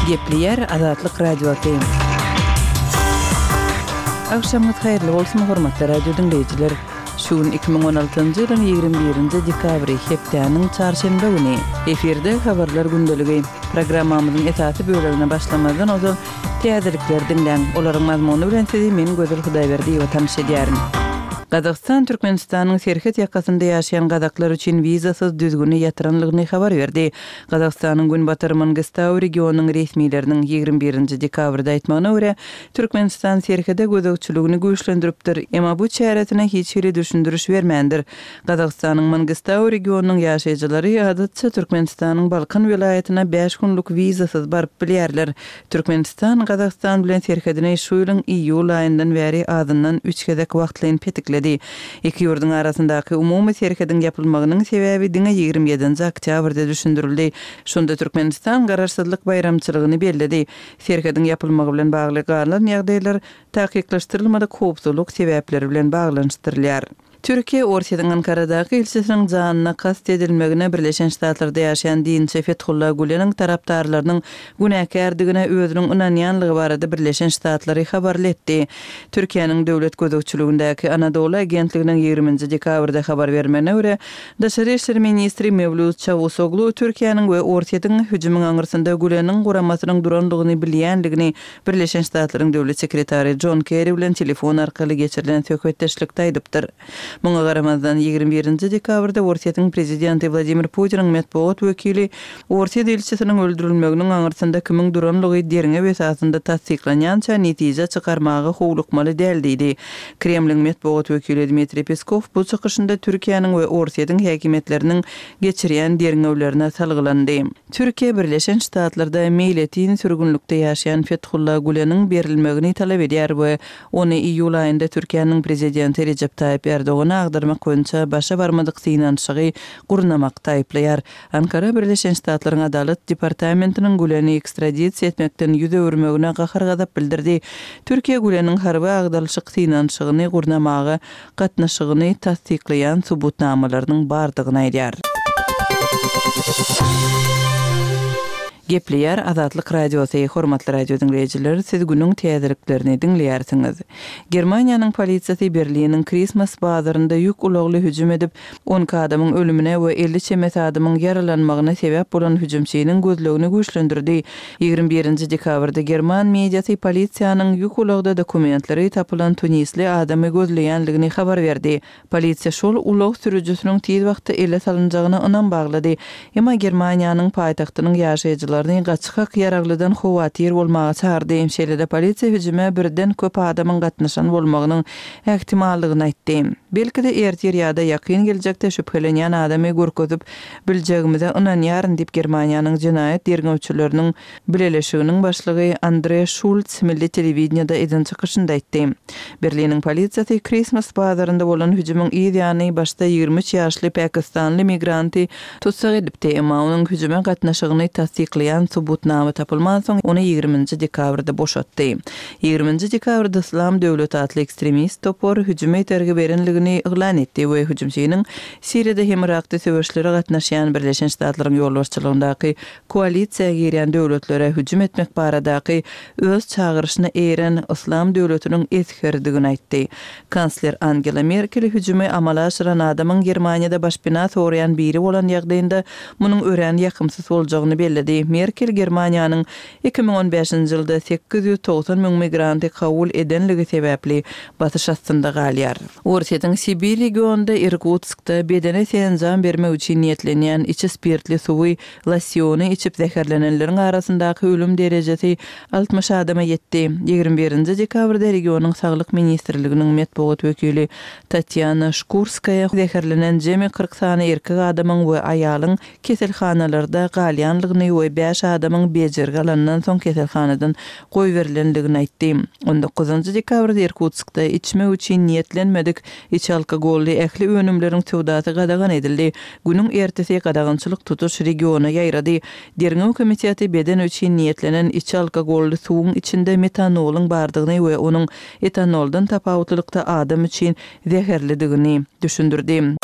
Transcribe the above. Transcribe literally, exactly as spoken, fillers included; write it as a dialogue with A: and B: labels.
A: Gepleýär Azatlyk Radiosy. Agşamyňyz haýyrly bolsun, hormatly radio diňleýjiler! Şu gün iki müň on altynjy ýylyň ýigrimi birinji dekabry, hepdäniň çarşenbe güni. Efirde Habarlar gündeligi. Programmamyzyň esasy bölegine başlamazdan ozal, täzelikleri diňläň. Olaryň mazmuny bilen sizi men Gözel Hudaýberdiýewa tanyş edýärin. Gazagystan Türkmenistanyň serhet ýakasynda ýaşaýan gazaklar üçin wizasyz düzgüni ýatyranlygyny habar berdi. Gazagystanyň Günbatar Mangystau regionynyň resmileriniň ýigrimi birinji dekabrda aýtmagyna görä, Türkmenistan serhede gözegçiligini güýçlendiripdir, emma bu çäresine hiç hili düşündiriş bermändir. Gazagystanyň Mangystau regionynyň ýaşaýjylary adatça Türkmenistanyň Balkan welaýatyna bäş günlük wizasyz baryp bilýärler. Türkmenistan Gazagystan bilen serhedini şu ýylyň iýul aýyndan bäri azyndan üç gezek wagtlaýyn petikledi. Iki ýurduň arasyndaky umumy serhediň ýapylmagynyň sebäbi diňe ýigrimi ýedinji oktýabrda düşündirildi. Şonda Türkmenistan Garaşsyzlyk baýramçylygyny belledi. Serhediň ýapylmagy bilen bagly galan ýagdaýlar takyklaşdyrylmadyk howpsuzlyk sebäpleri bilen baglanyşdyrylýar. Türkiýe Orsýetiň Ankaradaky ilçisiniň janyna kast edilmegine Birleşen Ştatlarda ýaşaýan dinçi Fethullah Güleniň tarapdarlarynyň günäkärdigine özüniň ynanýanlygy barada Birleşen Ştatlary habarly etdi. Türkiýäniň döwlet gözegçiligindäki Anadolu agentliginiň ýigriminji dekabrda habar bermegine görä, Daşary işler ministri Mewlüt Çawusoglu Türkiýäniň we Orsýetiň hüjümiň aňyrsynda Güleniň guramasynyň durandygyny bilýändigini Birleşen Ştatlaryň döwlet sekretary Jon Kerri bilen telefon arkaly geçirilen söhbetdeşlikde aýdypdyr. Muňa garamazdan, ýigrimi birinji dekabrda Orsýetiň prezidenti Wladimir Putiniň metbugat wekili Orsýet ilçisiniň öldürilmeginiň aňyrsynda kimiň duranlygy derňew esasynda tassyklanýança netije çykarmaga howlukmaly däl diýdi. Kremliň metbugat wekili Dmitriý Peskow bu çykyşynda Türkiýäniň we Orsýetiň häkimiýetleriniň geçirýän derňewlerine salgylandy. Türkiýe Birleşen Ştatlarda meýletin sürgünlikde ýaşaýan Fethullah Güleniň berilmegini talap edýär we ony iýul aýynda Türkiýäniň prezidenti Rejep Taýyp Erdogana agdarmak boýunça başa barmadyk synanyşygy gurnamakda aýyplaýar. Ankara Birleşen Ştatlaryň Adalat departamentiniň Güleni ekstradisiýa etmekden ýüz öwürmegine gahar-gazap bildirdi. Türkiýe Güleniň harby agdarylyşyk synanyşygyny gurnamaga gatnaşygyny tassyklaýan subutnamalarynyň bardygyny aýdýar. Gepleýär Azatlyk Radiosy, Hormatly radio diňleýjiler, siz günüň täzeliklerini diňleýärsiňiz. Germaniýanyň polisiýasy Berliniň Christmas bazarynda ýük ulagly hüjüm edip, on iki adamyň ölümine we elli çemesi adamyň ýaralanmagyna sebäp bolan hüjümçiniň gözlegini güýçlendirdi. Ýigrimi birinji dekabrda german mediasy polisiýanyň ýük ulagda dokumentleri tapylan tunisli adamy gözleýänligini habar berdi. Polisiýa şol ulag sürüjisiniň tiz wagtda ele salynjagyna ynam baglady. Emma Germaniýanyň paýtagtynyň ýaşaýjylaryny gaçgak ýaraglydan howatyr bolmaga çagyrdy. Şeýle-de polisiýa hüjüme birden köp adamyň gatnaşan bolmagynyň ähtimallygyny aýtdy. Belki-de ertir ýa-da ýakyn geljekde şübhelenýän adamy görkezip biljegimize ynanýaryn diýip Germaniýanyň jenaýat derňewçileriniň bileleşiginiň başlygy Andre Şulz milli telewideniýede eden çykyşynda aýtdy. Berliniň polisiýasy Christmas bazarynda bolan hüjümiň yz ýany başda ýigrimi üç ýaşly pakistanly migranty tussag edipdi, emma onuň hüjüme gatnaşygyny tassyklaýan subutnama tapylmansoň, ony ýigriminji dekabrda boşatdy. Ýigriminji dekabrda Yslam döwleti atly ekstremist topar hüjüme itergi berenligini yglan etdi we hüjümçiniň Siriýada hem Yrakda söweşlere gatnaşýan Birleşen Ştatlaryň ýolbaşçylygyndaky koalisiýa girýän döwletlere hüjüm etmek baradaky öz çagyryşyna eýeren Yslam döwletiniň esgeridigini aýtdy. Kansler Angela Merkel hüjümi amala aşyran adamyň Germaniýada başpena soraýan biri bolan ýagdaýynda munuň örän ýakymsyz boljagyny belledi. Merkel Germaniýanyň iki müň on bäşinji ýylda sekiz ýüz togsan müň migranty kabul edenligi sebäpli basyş astynda galýar. Orsýetiň Sibir regionynda Irkutskda bedene senjam bermek üçin niýetlenýän içi spirtli suwy, losýony içip zäherlenenleriň arasyndaky ölüm derejesi altmyş adama ýetdi. Ýigrimi birinji dekabrda regionyň Saglyk ministrliginiň metbugat wekili Tatýana Şkurskaýa zäherlenen jemi kyrk sany erkek adamyň we aýalyň keselhanalarda galýanlygyny we bäş adamyň bejergi alandan soň keselhanadan goýberilendigini aýtdy. On dokuzynjy dekabrda Irkutskda içmek üçin niýetlenmedik içi alkogolly ähli önümleriň söwdasy gadagan edildi. Günüň ertesi gadagançylyk tutuş regiona ýaýrady. Derňew komiteti beden üçin niýetlenen içi alkogolly suwuň içinde metanolyň bardygyny we onuň etanoldan tapawutlylykda adam üçin zäherlidigini düşündirdi.